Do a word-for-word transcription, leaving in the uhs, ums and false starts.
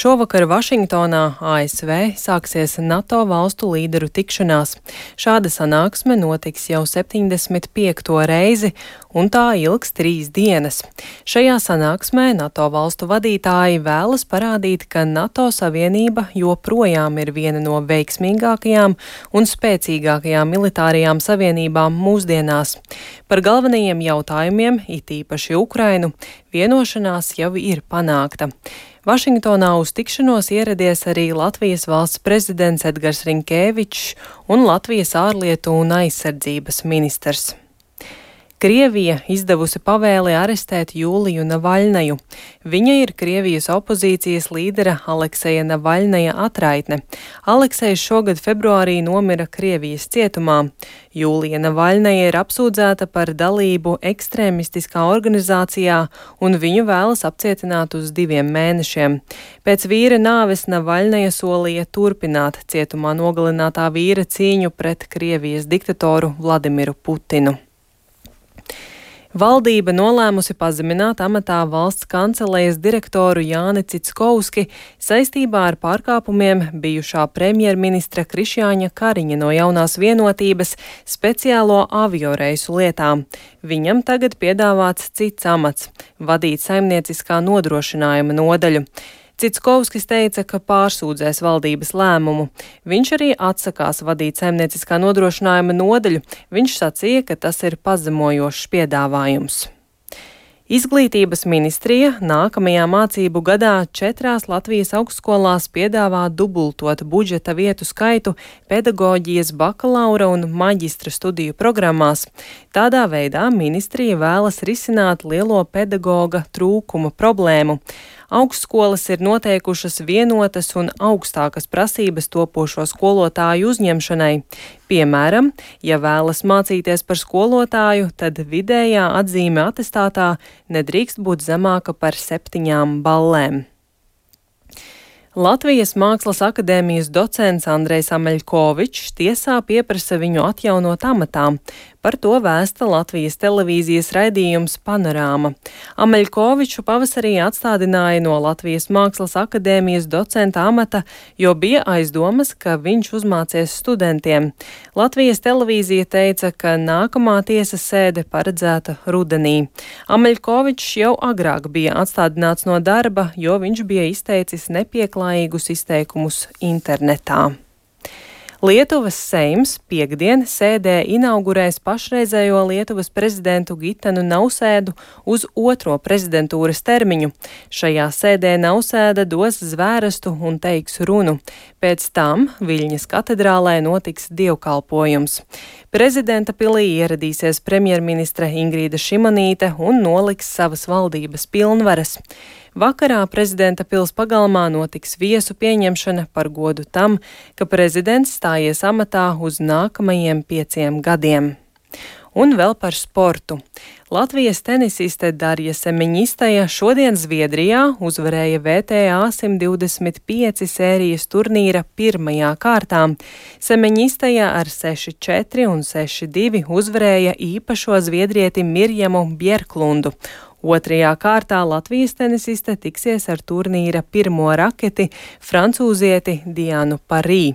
Šovakar Vašingtonā, A S V, sāksies NATO valstu līderu tikšanās. Šāda sanāksme notiks jau septiņdesmit piekto reizi, un tā ilgs trīs dienas. Šajā sanāksmē NATO valstu vadītāji vēlas parādīt, ka NATO savienība joprojām ir viena no veiksmīgākajām un spēcīgākajām militārajām savienībām mūsdienās. Par galvenajiem jautājumiem, it īpaši Ukrainu, vienošanās jau ir panākta. Vašingtonā uz tikšanos ieradies arī Latvijas valsts prezidents Edgars Rinkēvičs un Latvijas ārlietu un aizsardzības ministrs. Krievija izdevusi pavēli arestēt Jūliju Navaļnaju. Viņa ir Krievijas opozīcijas līdera Alekseja Navaļnaja atraitne. Aleksejs šogad februārī nomira Krievijas cietumā. Jūlija Navaļnaja ir apsūdzēta par dalību ekstrēmistiskā organizācijā, un viņu vēlas apcietināt uz diviem mēnešiem. Pēc vīra nāves Navaļnaja solīja turpināt cietumā nogalinātā vīra cīņu pret Krievijas diktatoru Vladimiru Putinu. Valdība nolēmusi pazemināt amatā valsts kancelejas direktoru Jāni Cickovski saistībā ar pārkāpumiem bijušā premjerministra Krišjāņa Kariņa no Jaunās vienotības speciālo avioreisu lietām. Viņam tagad piedāvāts cits amats – vadīt saimnieciskā nodrošinājuma nodaļu. Cickovskis teica, ka pārsūdzēs valdības lēmumu. Viņš arī atsakās vadīt saimnieciskā nodrošinājuma nodaļu. Viņš sacīja, ka tas ir pazemojošs piedāvājums. Izglītības ministrija nākamajā mācību gadā četrās Latvijas augstskolās piedāvā dubultot budžeta vietu skaitu pedagoģijas bakalaura un maģistra studiju programmās. Tādā veidā ministrija vēlas risināt lielo pedagoga trūkuma problēmu. Augstskolas ir noteikušas vienotas un augstākas prasības topošo skolotāju uzņemšanai. Piemēram, ja vēlas mācīties par skolotāju, tad vidējā atzīme atestātā nedrīkst būt zemāka par septiņām ballēm. Latvijas Mākslas akadēmijas docents Andrejs Ameļkovičs tiesā pieprasa viņu atjaunot amatā. Par to vēsta Latvijas televīzijas raidījums Panorāma. Ameļkoviču pavasarī atstādināja no Latvijas Mākslas akadēmijas docenta amata, jo bija aizdomas, ka viņš uzmācies studentiem. Latvijas televīzija teica, ka nākamā tiesas sēde paredzēta rudenī. Ameļkovičs jau agrāk bija atstādināts no darba, jo viņš bija izteicis nepieklājīgus izteikumus internetā. Lietuvas Seims piekdien sēdē inaugurēs pašreizējo Lietuvas prezidentu Gitanu Nausēdu uz otro prezidentūras termiņu. Šajā sēdē Nausēda dos zvērestu un teiks runu. Pēc tam Viļņas katedrālē notiks dievkalpojums. Prezidenta pilī ieradīsies premjerministre Ingrīda Šimonīte un noliks savas valdības pilnvaras. Vakarā prezidenta pils pagalmā notiks viesu pieņemšana par godu tam, ka prezidents stājies amatā uz nākamajiem pieciem gadiem. Un vēl par sportu. Latvijas tenisiste Darja Semeņistaja šodien Zviedrijā uzvarēja V T A simt divdesmit pieci sērijas turnīra pirmajā kārtā. Semeņistaja ar seši četri un seši divi uzvarēja īpašo zviedrieti Mirjamu Bjerklundu. Otrajā kārtā Latvijas tenisiste tiksies ar turnīra pirmo raketi francūzieti Dianu Parī.